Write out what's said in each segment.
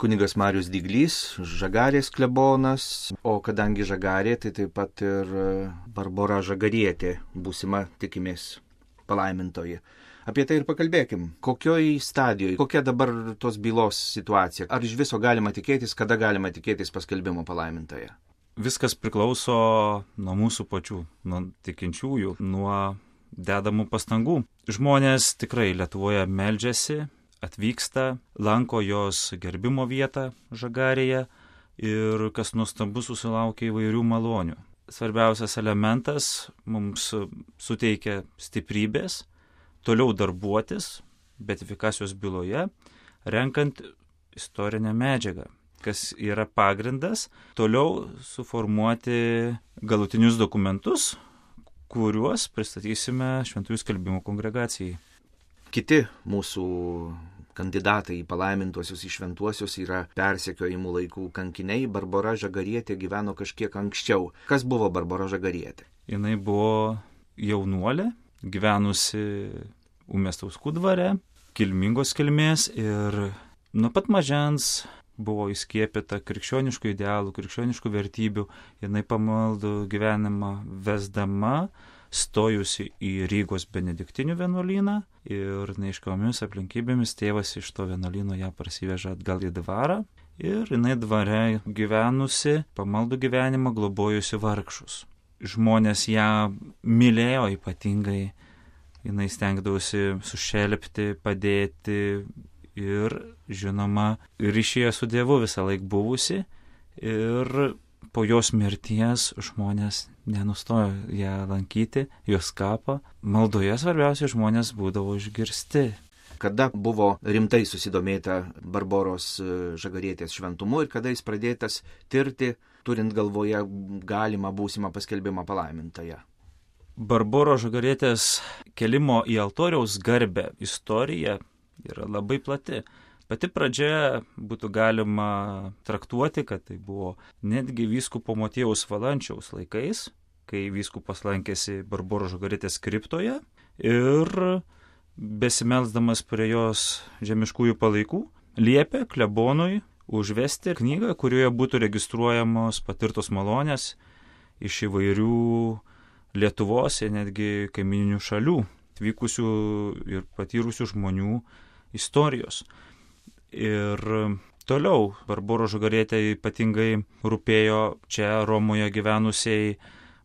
kunigas Marius Dyglys, Žagarės klebonas, o kadangi Žagarė, tai taip pat ir Barbora Žagarietė, būsima tikimės palaimintoji. Apie tai ir pakalbėkim. Kokioj stadijoje, kokia dabar tos bylos situacija? Ar iš viso galima tikėtis, kada galima tikėtis paskelbimo palaimintoje? Viskas priklauso nuo mūsų pačių, nuo tikinčiųjų, nuo dedamų pastangų. Žmonės tikrai Lietuvoje meldžiasi, atvyksta, lanko jos gerbimo vietą Žagarėje ir kas nuostabu susilaukia įvairių malonių. Svarbiausias elementas mums suteikia stiprybės, toliau darbuotis beatifikacijos byloje, renkant istorinę medžiagą, kas yra pagrindas, toliau suformuoti galutinius dokumentus, kuriuos pristatysime Šventųjų skelbimų kongregacijai. Kiti mūsų kandidatai į palaimintuosius, į šventuosius yra persekiojimų laikų kankiniai. Barbora Žagarietė gyveno kažkiek anksčiau. Kas buvo Barbora Žagarietė? Jinai buvo jaunuolė, gyvenusi Umestauskų dvare, kilmingos kilmės ir nuo pat mažens buvo įskiepyta krikščioniškų idealų, krikščioniškų vertybių. Jinai pamaldų gyvenimą vesdama, stojusi į Rygos benediktinių vienuolyną ir neaiškiomis aplinkybėmis tėvas iš to vienuolyno ją parsiveža atgal į dvarą ir jinai dvare gyvenusi, pamaldų gyvenimą, globojusi vargšus. Žmonės ją mylėjo ypatingai, jinai stengdavosi sušelpti, padėti ir, žinoma, ryšyje su Dievu visą laiką buvusi ir po jos mirties žmonės nenustojo ją lankyti, jos kapą. Maldoje svarbiausia žmonės būdavo išgirsti. Kada buvo rimtai susidomėta Barboros Žagarietės šventumu ir kada jis pradėtas tirti, turint galvoje galimą būsimą paskelbimą palaimintąją? Barboros Žagarietės kelimo į altoriaus garbę istorija yra labai plati. Pati pradžia būtų galima traktuoti, kad tai buvo netgi vyskupo Motiejaus Valančiaus laikais, kai vyskupas lankėsi Barboros Žagarietės kriptoje ir besimelsdamas prie jos žemiškųjų palaikų, liepė klebonui užvesti knygą, kurioje būtų registruojamos patirtos malonės iš įvairių Lietuvos ir netgi kaimininių šalių atvykusių ir patyrusių žmonių istorijos. Ir toliau Barboros Žagarietė ypatingai rūpėjo čia Romoje gyvenusiai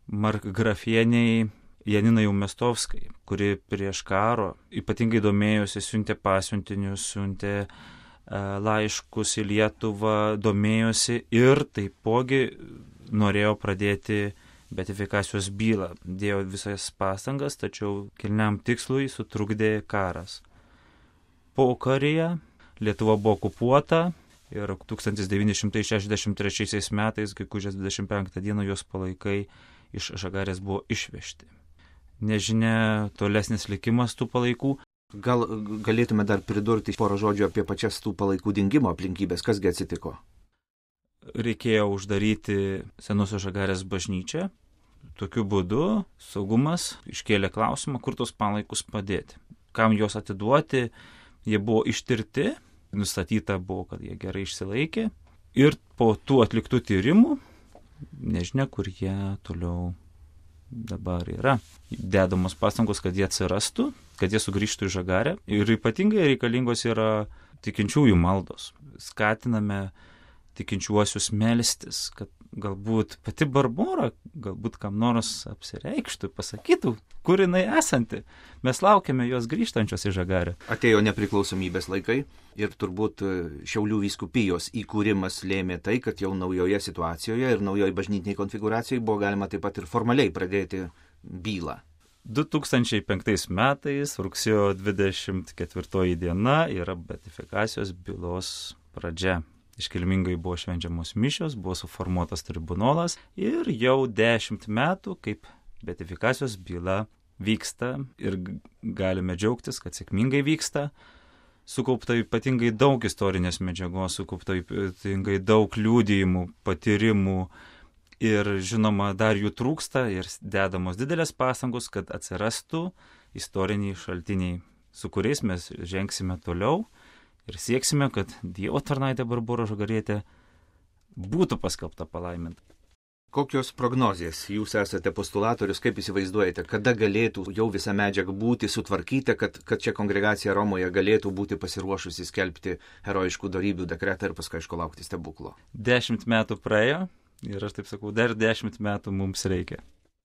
markgrafieniai Janinai Umestovskai, kuri prieš karo ypatingai domėjosi, siuntė pasiuntinius, siuntė laiškus į Lietuvą, domėjosi ir taipogi norėjo pradėti beatifikacijos bylą. Dėjo visas pastangas, tačiau kilniam tikslui sutrukdė karas. Pokaryje Lietuva buvo okupuota ir 1963 metais, gegužės 25 dieną, jos palaikai iš Žagarės buvo išvežti. Nežinia tolesnis likimas tų palaikų. Gal galėtume dar pridurti porą žodžių apie pačias tų palaikų dingimo aplinkybės, kasgi atsitiko? Reikėjo uždaryti Senosios Žagarės bažnyčią. Tokiu būdu saugumas iškėlė klausimą, kur tos palaikus padėti. Kam juos atiduoti, jie buvo ištirti, nustatyta buvo, kad jie gerai išsilaikė. Ir po tų atliktų tyrimų, nežinia, kur jie toliau dabar yra. Dedamos pastangos, kad jie atsirastų, kad jie sugrįžtų į Žagarę. Ir ypatingai reikalingos yra tikinčiųjų maldos. Skatiname tikinčiuosius melstis, kad galbūt pati Barbora, galbūt kam nors apsireikštų, pasakytų, kur jinai esanti. Mes laukiame jos grįžtančios į Žagarę. Atėjo nepriklausomybės laikai ir turbūt Šiaulių vyskupijos įkūrimas lėmė tai, kad jau naujoje situacijoje ir naujoje bažnytiniai konfiguracijai buvo galima taip pat ir formaliai pradėti bylą. 2005 metais, rugsėjo 24 diena, yra beatifikacijos bylos pradžia. Iškilmingai buvo švenčiamos mišios, buvo suformuotas tribunolas ir jau 10 metų, kaip beatifikacijos byla vyksta ir galime džiaugtis, kad sėkmingai vyksta. Sukaupta ypatingai daug istorinės medžiagos, sukaupta ypatingai daug liudijimų, patyrimų ir žinoma dar jų trūksta ir dedamos didelės pastangos, kad atsirastų istoriniai šaltiniai, su kuriais mes žengsime toliau ir sieksime, kad Dievo tarnaitė Barbora Žagarietė būtų paskelbta palaiminta. Kokios prognozijas? Jūs esate postulatorius, kaip įsivaizduojate, kada galėtų jau visa medžiaga būti sutvarkyta, kad čia kongregacija Romoje galėtų būti pasiruošusi skelbti herojiškų dorybių dekretą ir paskui, aišku, laukti stebuklo? 10 metų praėjo ir aš taip sakau, dar 10 metų mums reikia.